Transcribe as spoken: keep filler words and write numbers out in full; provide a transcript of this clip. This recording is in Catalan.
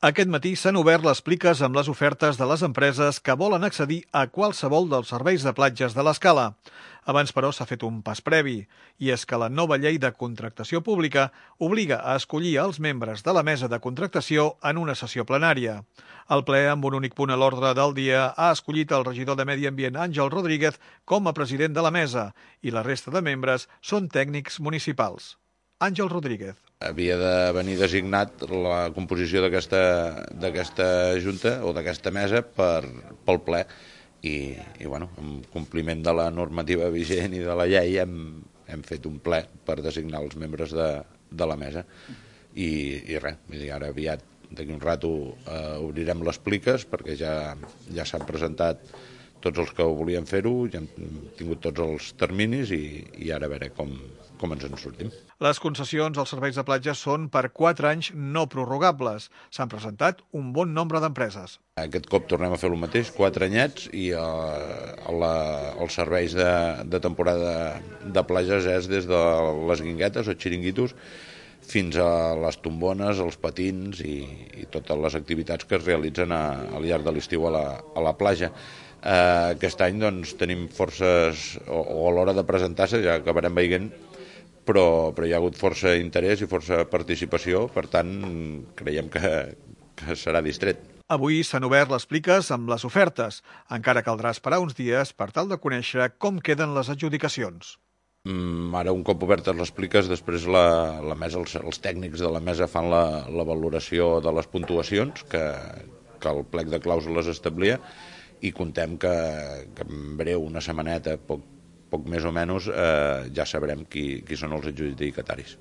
Aquest matí s'han obert les pliques amb les ofertes de les empreses que volen accedir a qualsevol dels serveis de platges de l'Escala. Abans, però, s'ha fet un pas previ, i és que la nova llei de contractació pública obliga a escollir els membres de la mesa de contractació en una sessió plenària. El ple, amb un únic punt a l'ordre del dia, ha escollit el regidor de Medi Ambient, Àngel Rodríguez, com a president de la mesa, i la resta de membres són tècnics municipals. Àngel Rodríguez. Havia de venir designat la composició d'aquesta junta o d'aquesta mesa per, pel ple i, i bueno, en compliment de la normativa vigent i de la llei hem, hem fet un ple per designar els membres de, de la mesa i, i res, ara aviat d'aquí un rato eh, obrirem les pliques perquè ja, ja s'han presentat tots els que volien fer-ho, ja hem tingut tots els terminis i, i ara a veure com, com ens en sortim. Les concessions als serveis de platja són per quatre anys no prorrogables. S'han presentat un bon nombre d'empreses. Aquest cop tornem a fer el mateix, quatre anyets, i eh, la, els serveis de, de temporada de platges és des de les guinguetes o xiringuitos fins a les tombones, els patins i, i totes les activitats que es realitzen a, al llarg de l'estiu a, la, a la platja. Uh, aquest any doncs, tenim forces, o, o a l'hora de presentar-se ja acabarem veient, però, però hi ha hagut força interès i força participació, per tant creiem que, que serà distret. Avui s'han obert les pliques amb les ofertes. Encara caldrà esperar uns dies per tal de conèixer com queden les adjudicacions. Mm, ara, un cop obertes les pliques, després la, la mesa, els, els tècnics de la mesa fan la, la valoració de les puntuacions que, que el plec de clàusules establia, i contem que, que en breu, una setmaneta, poc, poc més o menys, eh, ja sabrem qui, qui són els adjudicataris.